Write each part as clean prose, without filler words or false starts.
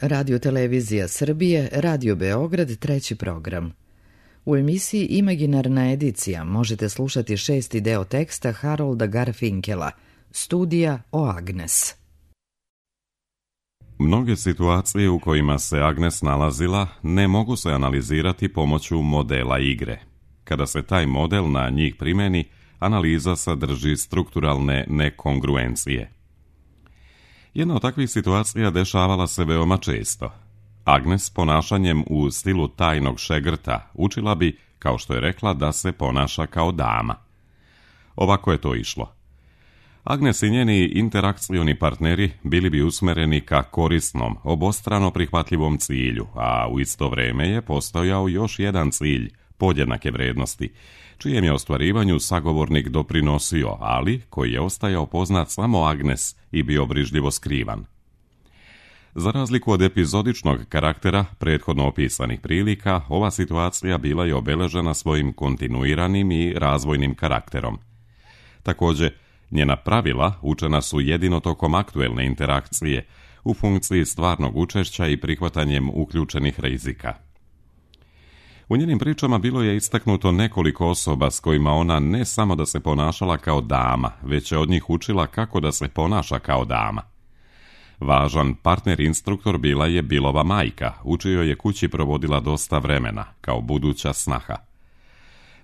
Radio Televizija Srbije, Radio Beograd, treći program. U emisiji Imaginarna edicija možete slušati 6. deo teksta Harolda Garfinkela, Studija o Agnes. Mnoge situacije u kojima se Agnes nalazila ne mogu se analizirati pomoću modela igre. Kada se taj model na njih primeni, analiza sadrži strukturalne nekongruencije. Jedna od takvih situacija dešavala se veoma često. Agnes ponašanjem u stilu tajnog šegrta učila bi, kao što je rekla, da se ponaša kao dama. Ovako je to išlo. Agnes i njeni interakcioni partneri bili bi usmereni ka korisnom, obostrano prihvatljivom cilju, a u isto vreme je postojao još jedan cilj, podjednake vrednosti, čijem je ostvarivanju sagovornik doprinosio, ali koji je ostajao poznat samo Agnes i bio brižljivo skrivan. Za razliku od epizodičnog karaktera prethodno opisanih prilika, ova situacija bila je obeležena svojim kontinuiranim i razvojnim karakterom. Također, njena pravila učena su jedino tokom aktuelne interakcije, u funkciji stvarnog učešća i prihvatanjem uključenih rizika. U njenim pričama bilo je istaknuto nekoliko osoba s kojima ona ne samo da se ponašala kao dama, već je od njih učila kako da se ponaša kao dama. Važan partner instruktor bila je Billova majka, u čijoj je kući provodila dosta vremena, kao buduća snaha.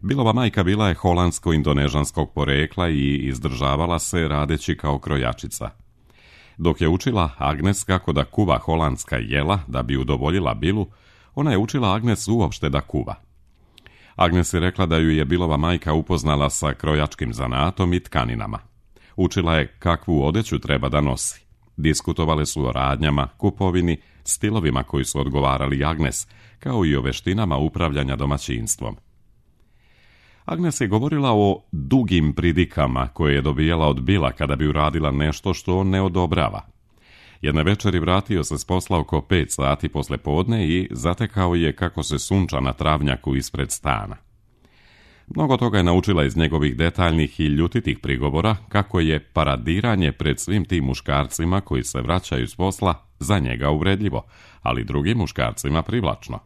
Billova majka bila je holandsko-indonežanskog porekla i izdržavala se radeći kao krojačica. Dok je učila Agnes kako da kuva holandska jela da bi udovoljila Billu, ona je učila Agnes uopšte da kuva. Agnes je rekla da ju je Billova majka upoznala sa krojačkim zanatom i tkaninama. Učila je kakvu odeću treba da nosi. Diskutovale su o radnjama, kupovini, stilovima koji su odgovarali Agnes, kao i o veštinama upravljanja domaćinstvom. Agnes je govorila o dugim pridikama koje je dobijala od Billa kada bi uradila nešto što on ne odobrava. Jedne večeri vratio se s posla oko 5 sati posle podne i zatekao je kako se sunča na travnjaku ispred stana. Mnogo toga je naučila iz njegovih detaljnih i ljutitih prigovora, kako je paradiranje pred svim tim muškarcima koji se vraćaju s posla za njega uvredljivo, ali drugim muškarcima privlačno.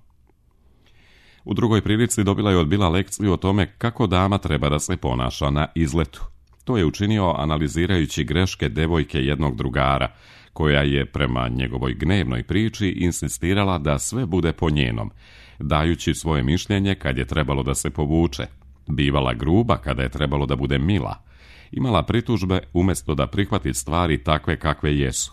U drugoj prilici dobila je od Billa lekciju o tome kako dama treba da se ponaša na izletu. To je učinio analizirajući greške devojke jednog drugara, koja je prema njegovoj gnevnoj priči insistirala da sve bude po njenom, dajući svoje mišljenje kad je trebalo da se povuče, bivala gruba kada je trebalo da bude mila, imala pritužbe umjesto da prihvati stvari takve kakve jesu,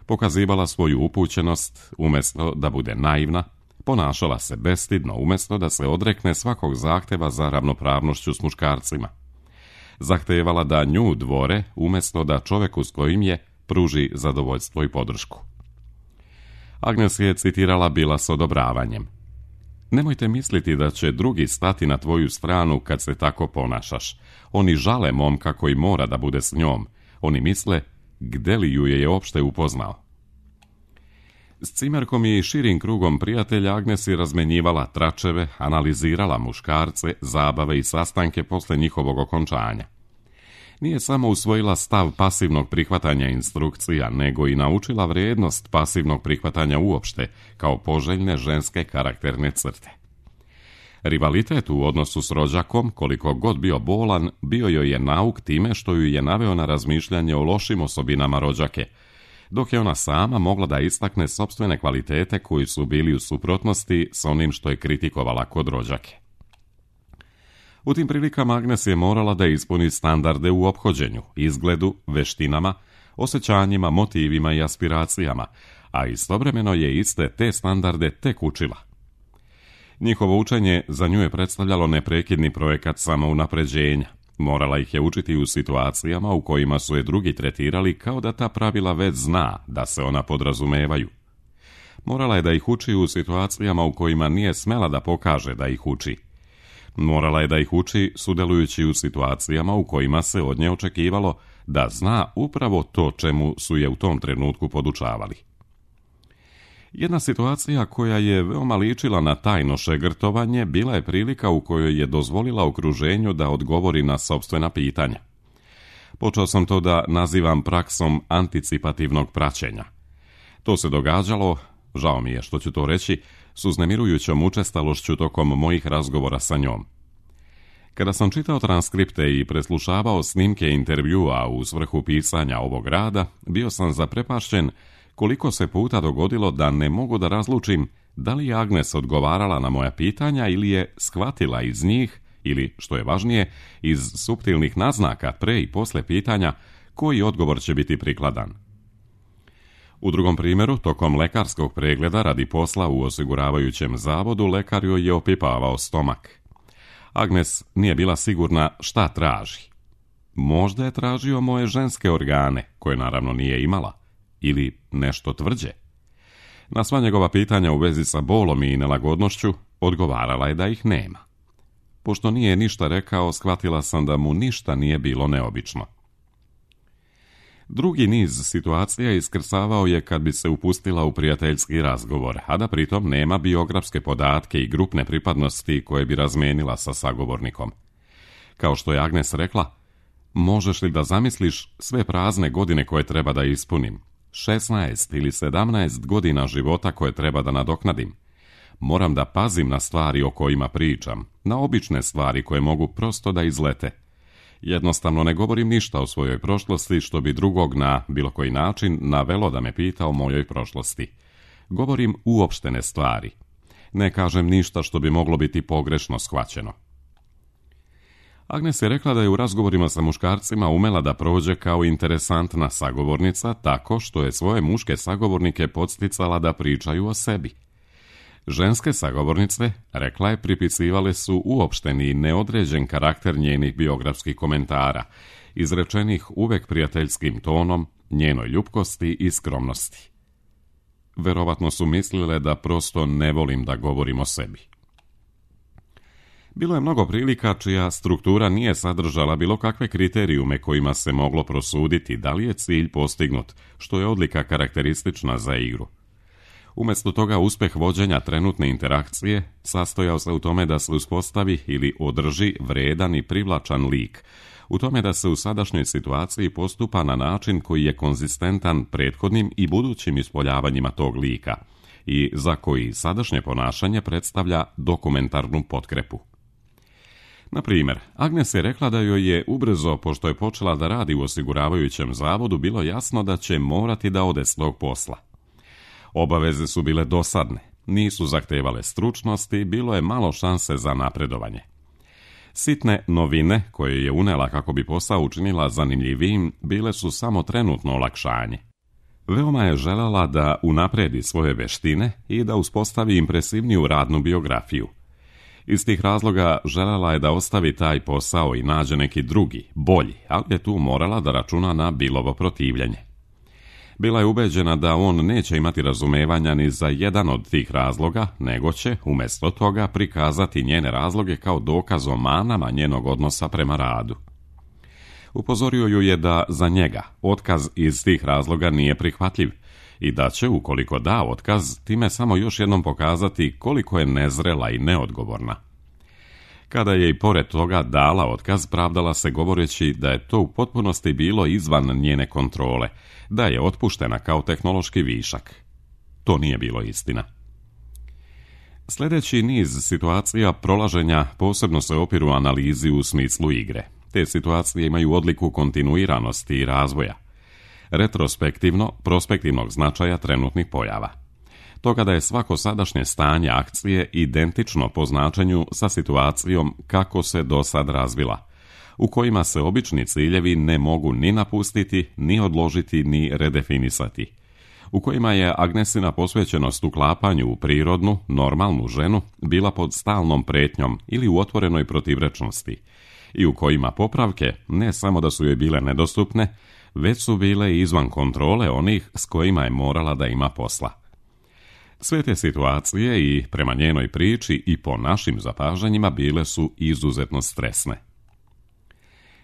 pokazivala svoju upućenost umjesto da bude naivna, ponašala se bestidno umjesto da se odrekne svakog zahteva za ravnopravnošću s muškarcima, zahtevala da nju dvore umjesto da čoveku s kojim je pruži zadovoljstvo i podršku. Agnes je citirala Billa s odobravanjem. Nemojte misliti da će drugi stati na tvoju stranu kad se tako ponašaš. Oni žale momka koji mora da bude s njom. Oni misle, gde li ju je opšte upoznao. S cimerkom i širim krugom prijatelja Agnes je razmenjivala tračeve, analizirala muškarce, zabave i sastanke posle njihovog okončanja. Nije samo usvojila stav pasivnog prihvatanja instrukcija, nego i naučila vrijednost pasivnog prihvatanja uopšte, kao poželjne ženske karakterne crte. Rivalitet u odnosu s rođakom, koliko god bio bolan, bio joj je nauk time što ju je naveo na razmišljanje o lošim osobinama rođake, dok je ona sama mogla da istakne sopstvene kvalitete koji su bili u suprotnosti s onim što je kritikovala kod rođake. U tim prilikama Agnes je morala da ispuni standarde u ophođenju, izgledu, veštinama, osjećanjima, motivima i aspiracijama, a istovremeno je iste te standarde tek učila. Njihovo učenje za nju je predstavljalo neprekidni projekat samounapređenja. Morala ih je učiti u situacijama u kojima su je drugi tretirali kao da ta pravila već zna, da se ona podrazumevaju. Morala je da ih uči u situacijama u kojima nije smela da pokaže da ih uči. Morala je da ih uči sudjelujući u situacijama u kojima se od nje očekivalo da zna upravo to čemu su je u tom trenutku podučavali. Jedna situacija koja je veoma ličila na tajno šegrtovanje bila je prilika u kojoj je dozvolila okruženju da odgovori na sopstvena pitanja. Počeo sam to da nazivam praksom anticipativnog praćenja. To se događalo, žao mi je što ću to reći, s uznemirujućom učestalošću tokom mojih razgovora sa njom. Kada sam čitao transkripte i preslušavao snimke intervjua u svrhu pisanja ovog rada, bio sam zaprepašćen koliko se puta dogodilo da ne mogu da razlučim da li je Agnes odgovarala na moja pitanja ili je shvatila iz njih, ili, što je važnije, iz suptilnih naznaka pre i posle pitanja koji odgovor će biti prikladan. U drugom primjeru, tokom lekarskog pregleda radi posla u osiguravajućem zavodu, lekar joj je opipavao stomak. Agnes nije bila sigurna šta traži. Možda je tražio moje ženske organe, koje naravno nije imala, ili nešto tvrđe. Na sva njegova pitanja u vezi sa bolom i nelagodnošću odgovarala je da ih nema. Pošto nije ništa rekao, shvatila sam da mu ništa nije bilo neobično. Drugi niz situacija iskrsavao je kad bi se upustila u prijateljski razgovor, a da pritom nema biografske podatke i grupne pripadnosti koje bi razmenila sa sagovornikom. Kao što je Agnes rekla, možeš li da zamisliš sve prazne godine koje treba da ispunim? 16 ili 17 godina života koje treba da nadoknadim. Moram da pazim na stvari o kojima pričam, na obične stvari koje mogu prosto da izlete. Jednostavno ne govorim ništa o svojoj prošlosti što bi drugog na bilo koji način navelo da me pita o mojoj prošlosti. Govorim uopštene stvari. Ne kažem ništa što bi moglo biti pogrešno shvaćeno. Agnes je rekla da je u razgovorima sa muškarcima umela da prođe kao interesantna sagovornica tako što je svoje muške sagovornike podsticala da pričaju o sebi. Ženske sagovornice, rekla je, pripisivale su uopšteni i neodređen karakter njenih biografskih komentara, izrečenih uvek prijateljskim tonom, njenoj ljubkosti i skromnosti. Verovatno su mislile da prosto ne volim da govorim o sebi. Bilo je mnogo prilika čija struktura nije sadržala bilo kakve kriterijume kojima se moglo prosuditi da li je cilj postignut, što je odlika karakteristična za igru. Umjesto toga, uspeh vođenja trenutne interakcije sastojao se u tome da se uspostavi ili održi vredan i privlačan lik, u tome da se u sadašnjoj situaciji postupa na način koji je konzistentan prethodnim i budućim ispoljavanjima tog lika i za koji sadašnje ponašanje predstavlja dokumentarnu potkrepu. Na primjer, Agnes je rekla da joj je ubrzo, pošto je počela da radi u osiguravajućem zavodu, bilo jasno da će morati da ode s tog posla. Obaveze su bile dosadne, nisu zahtevale stručnosti, bilo je malo šanse za napredovanje. Sitne novine koje je unela kako bi posao učinila zanimljivijim bile su samo trenutno olakšanje. Veoma je željela da unapredi svoje veštine i da uspostavi impresivniju radnu biografiju. Iz tih razloga željela je da ostavi taj posao i nađe neki drugi, bolji, ali je tu morala da računa na Billovo protivljenje. Bila je ubeđena da on neće imati razumevanja ni za jedan od tih razloga, nego će, umjesto toga, prikazati njene razloge kao dokaz o manama njenog odnosa prema radu. Upozorio ju je da za njega otkaz iz tih razloga nije prihvatljiv i da će, ukoliko da otkaz, time samo još jednom pokazati koliko je nezrela i neodgovorna. Kada je i pored toga dala otkaz, pravdala se govoreći da je to u potpunosti bilo izvan njene kontrole, da je otpuštena kao tehnološki višak. To nije bilo istina. Sljedeći niz situacija prolaženja posebno se opiru analizi u smislu igre. Te situacije imaju odliku kontinuiranosti i razvoja. Retrospektivno, prospektivnog značaja trenutnih pojava. Toga da je svako sadašnje stanje akcije identično po značenju sa situacijom kako se do sad razvila, u kojima se obični ciljevi ne mogu ni napustiti, ni odložiti, ni redefinisati, u kojima je Agnesina posvećenost uklapanju u prirodnu, normalnu ženu bila pod stalnom pretnjom ili u otvorenoj protivrečnosti, i u kojima popravke ne samo da su joj bile nedostupne, već su bile izvan kontrole onih s kojima je morala da ima posla. Sve te situacije i prema njenoj priči i po našim zapažanjima bile su izuzetno stresne.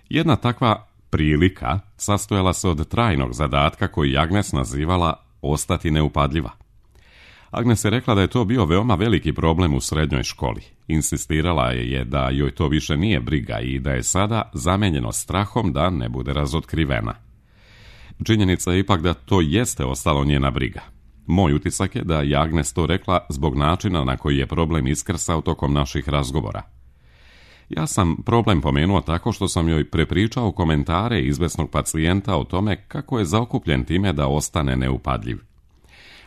Jedna takva prilika sastojala se od trajnog zadatka koji Agnes nazivala ostati neupadljiva. Agnes je rekla da je to bio veoma veliki problem u srednjoj školi. Insistirala je da joj to više nije briga i da je sada zamenjeno strahom da ne bude razotkrivena. Činjenica je ipak da to jeste ostalo njena briga. Moj utisak je da je Agnes to rekla zbog načina na koji je problem iskrsao tokom naših razgovora. Ja sam problem pomenuo tako što sam joj prepričao komentare izvesnog pacijenta o tome kako je zaokupljen time da ostane neupadljiv.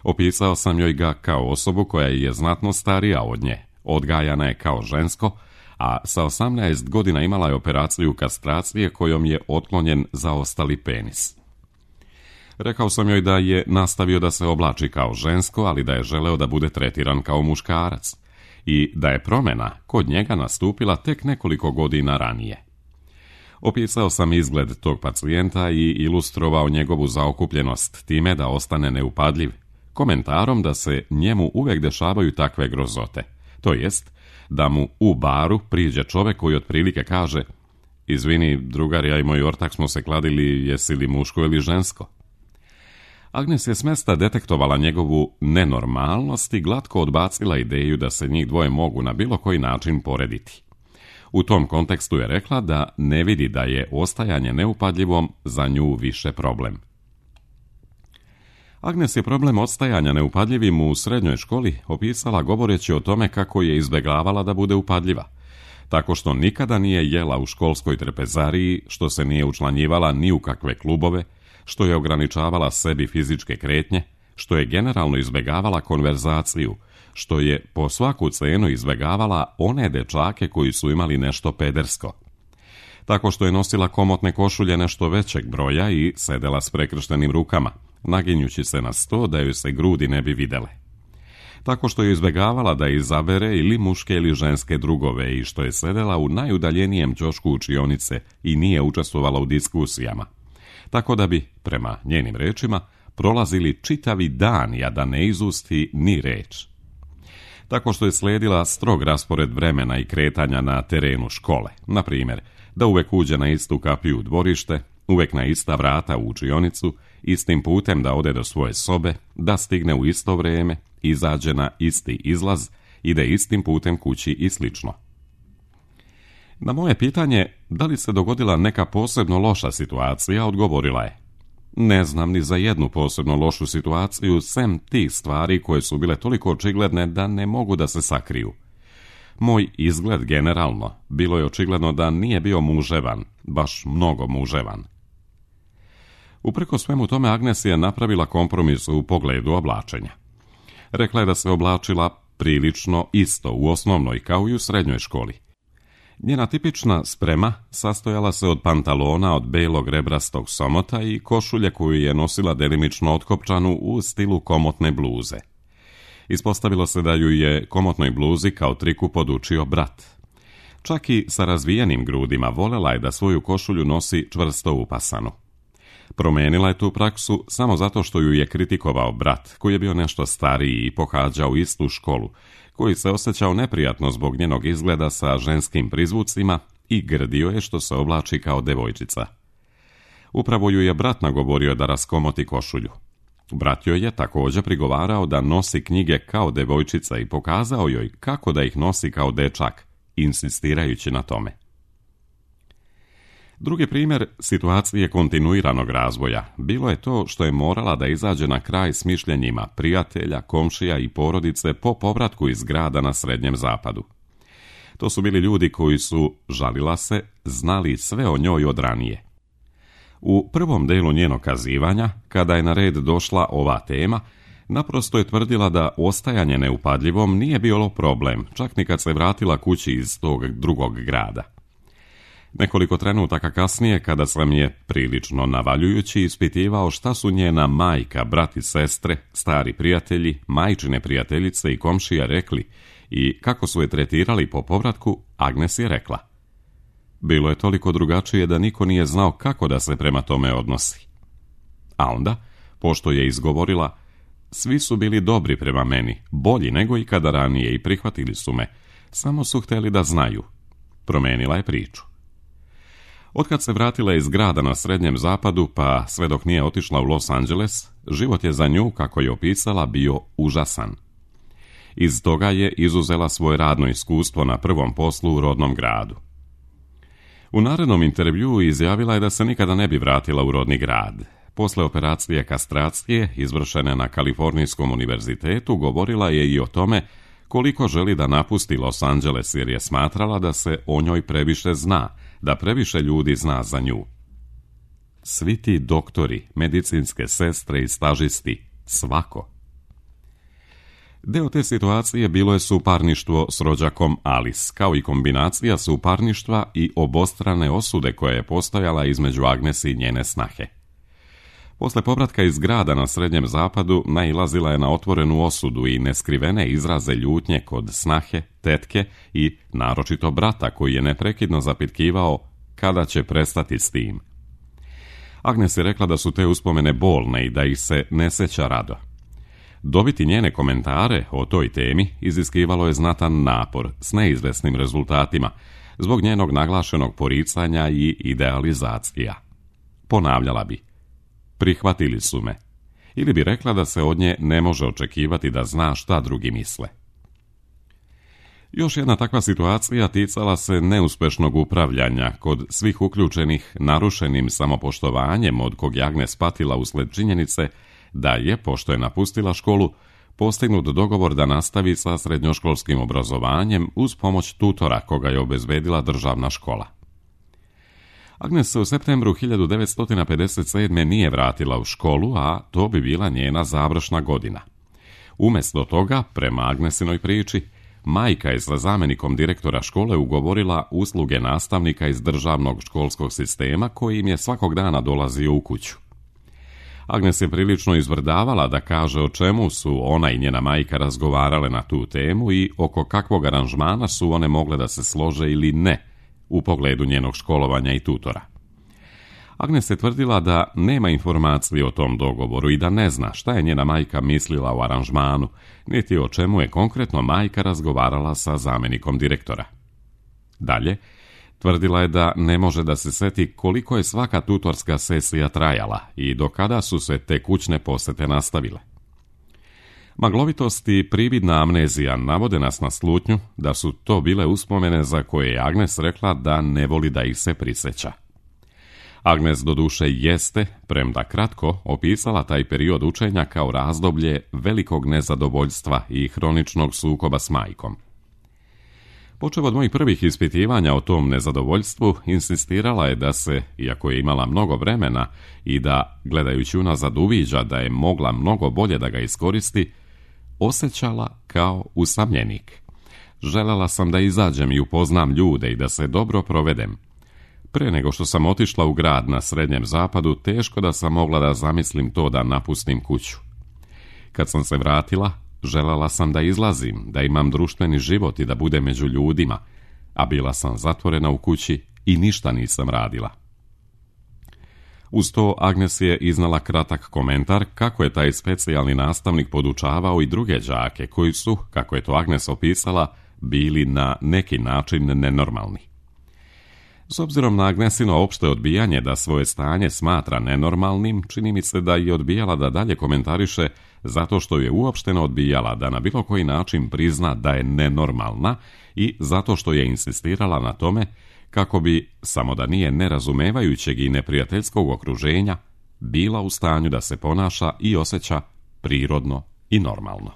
Opisao sam joj ga kao osobu koja je znatno starija od nje, odgajana je kao žensko, a sa 18 godina imala je operaciju kastracije kojom je otklonjen zaostali penis. Rekao sam joj da je nastavio da se oblači kao žensko, ali da je želeo da bude tretiran kao muškarac i da je promjena kod njega nastupila tek nekoliko godina ranije. Opisao sam izgled tog pacijenta i ilustrovao njegovu zaokupljenost time da ostane neupadljiv, komentarom da se njemu uvijek dešavaju takve grozote, to jest da mu u baru priđe čovjek koji otprilike kaže: izvini, drugar, ja i moj ortak smo se kladili, jesi li muško ili žensko? Agnes je s mesta detektovala njegovu nenormalnost i glatko odbacila ideju da se njih dvoje mogu na bilo koji način porediti. U tom kontekstu je rekla da ne vidi da je ostajanje neupadljivom za nju više problem. Agnes je problem ostajanja neupadljivim u srednjoj školi opisala govoreći o tome kako je izbjegavala da bude upadljiva, tako što nikada nije jela u školskoj trpezariji, što se nije učlanjivala ni u kakve klubove, što je ograničavala sebi fizičke kretnje, što je generalno izbjegavala konverzaciju, što je po svaku cenu izbjegavala one dečake koji su imali nešto pedersko. Tako što je nosila komotne košulje nešto većeg broja i sedela s prekrštenim rukama, naginjući se na sto da joj se grudi ne bi videle. Tako što je izbjegavala da izabere ili muške ili ženske drugove i što je sedela u najudaljenijem ćošku učionice i nije učestvovala u diskusijama. Tako da bi, prema njenim rečima, prolazili čitavi dan, a da ne izusti ni reč. Tako što je slijedila strog raspored vremena i kretanja na terenu škole, na primjer, da uvek uđe na istu kapiju u dvorište, uvek na ista vrata u učionicu, istim putem da ode do svoje sobe, da stigne u isto vrijeme, izađe na isti izlaz, ide istim putem kući i slično. Na moje pitanje da li se dogodila neka posebno loša situacija, odgovorila je: ne znam ni za jednu posebno lošu situaciju, sem tih stvari koje su bile toliko očigledne da ne mogu da se sakriju. Moj izgled generalno bilo je očigledno da nije bio muževan, baš mnogo muževan. Upreko svemu tome Agnes je napravila kompromis u pogledu oblačenja. Rekla je da se oblačila prilično isto u osnovnoj kao i u srednjoj školi. Njena tipična sprema sastojala se od pantalona od belog rebrastog somota i košulje koju je nosila delimično otkopčanu u stilu komotne bluze. Ispostavilo se da ju je komotnoj bluzi kao triku podučio brat. Čak i sa razvijenim grudima volela je da svoju košulju nosi čvrsto upasanu. Promenila je tu praksu samo zato što ju je kritikovao brat, koji je bio nešto stariji i pohađao istu školu, koji se osjećao neprijatno zbog njenog izgleda sa ženskim prizvucima i grdio je što se oblači kao devojčica. Upravo ju je brat nagovorio da raskomoti košulju. Brat joj je također prigovarao da nosi knjige kao devojčica i pokazao joj kako da ih nosi kao dečak, insistirajući na tome. Drugi primjer situacije kontinuiranog razvoja bilo je to što je morala da izađe na kraj s mišljenjima prijatelja, komšija i porodice po povratku iz grada na Srednjem zapadu. To su bili ljudi koji su, žalila se, znali sve o njoj od ranije. U prvom delu njenog kazivanja, kada je na red došla ova tema, naprosto je tvrdila da ostajanje neupadljivom nije bilo problem, čak ni kad se vratila kući iz tog drugog grada. Nekoliko trenutaka kasnije, kada sam je prilično navaljujući ispitivao šta su njena majka, brat i sestre, stari prijatelji, majčine prijateljice i komšija rekli i kako su je tretirali po povratku, Agnes je rekla: bilo je toliko drugačije da niko nije znao kako da se prema tome odnosi. A onda, pošto je izgovorila: svi su bili dobri prema meni, bolji nego ikada ranije i prihvatili su me, samo su htjeli da znaju, promenila je priču. Otkad se vratila iz grada na Srednjem zapadu, pa sve dok nije otišla u Los Angeles, život je za nju, kako je opisala, bio užasan. Iz toga je izuzela svoje radno iskustvo na prvom poslu u rodnom gradu. U narednom intervjuu izjavila je da se nikada ne bi vratila u rodni grad. Posle operacije kastracije, izvršene na Kalifornijskom univerzitetu, govorila je i o tome koliko želi da napusti Los Angeles jer je smatrala da se o njoj previše zna, da previše ljudi zna za nju. Svi ti doktori, medicinske sestre i stažisti, svako. Deo te situacije bilo je suparništvo s rođakom Alice, kao i kombinacija suparništva i obostrane osude koja je postojala između Agnes i njene snahe. Posle povratka iz grada na Srednjem zapadu nailazila je na otvorenu osudu i neskrivene izraze ljutnje kod snahe, tetke i naročito brata koji je neprekidno zapitkivao kada će prestati s tim. Agnes je rekla da su te uspomene bolne i da ih se ne seća rado. Dobiti njene komentare o toj temi iziskivalo je znatan napor s neizvesnim rezultatima zbog njenog naglašenog poricanja i idealizacija. Ponavljala bi: prihvatili su me. Ili bi rekla da se od nje ne može očekivati da zna šta drugi misle. Još jedna takva situacija ticala se neuspešnog upravljanja kod svih uključenih narušenim samopoštovanjem od kog je Agnes patila usled činjenice da je, pošto je napustila školu, postignut dogovor da nastavi sa srednjoškolskim obrazovanjem uz pomoć tutora koga je obezbedila državna škola. Agnes se u septembru 1957. nije vratila u školu, a to bi bila njena završna godina. Umjesto toga, prema Agnesinoj priči, majka je sa zamjenikom direktora škole ugovorila usluge nastavnika iz državnog školskog sistema koji im je svakog dana dolazio u kuću. Agnes je prilično izvrdavala da kaže o čemu su ona i njena majka razgovarale na tu temu i oko kakvog aranžmana su one mogle da se slože ili ne u pogledu njenog školovanja i tutora. Agnes je tvrdila da nema informacije o tom dogovoru i da ne zna šta je njena majka mislila o aranžmanu, niti o čemu je konkretno majka razgovarala sa zamjenikom direktora. Dalje, tvrdila je da ne može da se seti koliko je svaka tutorska sesija trajala i do kada su se te kućne posete nastavile. Maglovitost i prividna amnezija navode nas na slutnju da su to bile uspomene za koje je Agnes rekla da ne voli da ih se prisjeća. Agnes doduše jeste, premda kratko, opisala taj period učenja kao razdoblje velikog nezadovoljstva i hroničnog sukoba s majkom. Počev od mojih prvih ispitivanja o tom nezadovoljstvu, insistirala je da se, iako je imala mnogo vremena i da, gledajući unazad, uviđa da je mogla mnogo bolje da ga iskoristi, osjećala kao usamljenik. Želela sam da izađem i upoznam ljude i da se dobro provedem. Pre nego što sam otišla u grad na Srednjem zapadu, teško da sam mogla da zamislim to da napustim kuću. Kad sam se vratila, želela sam da izlazim, da imam društveni život i da budem među ljudima, a bila sam zatvorena u kući i ništa nisam radila. Uz to Agnes je iznala kratak komentar kako je taj specijalni nastavnik podučavao i druge đake koji su, kako je to Agnes opisala, bili na neki način nenormalni. S obzirom na Agnesino opšte odbijanje da svoje stanje smatra nenormalnim, čini mi se da je odbijala da dalje komentariše zato što je uopšteno odbijala da na bilo koji način prizna da je nenormalna i zato što je insistirala na tome kako bi, samo da nije nerazumevajućeg i neprijateljskog okruženja, bila u stanju da se ponaša i osjeća prirodno i normalno.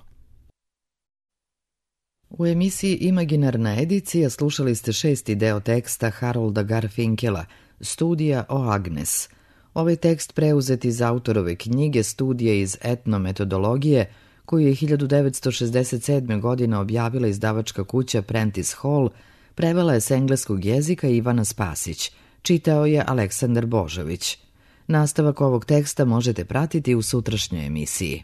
U emisiji Imaginarna edicija slušali ste 6. deo teksta Harolda Garfinkela, Studija o Agnes. Ovaj tekst preuzet iz autorove knjige Studije iz etnometodologije, koju je 1967. godine objavila izdavačka kuća Prentice Hall, prevela je s engleskog jezika Ivana Spasić, čitao je Aleksandar Božović. Nastavak ovog teksta možete pratiti u sutrašnjoj emisiji.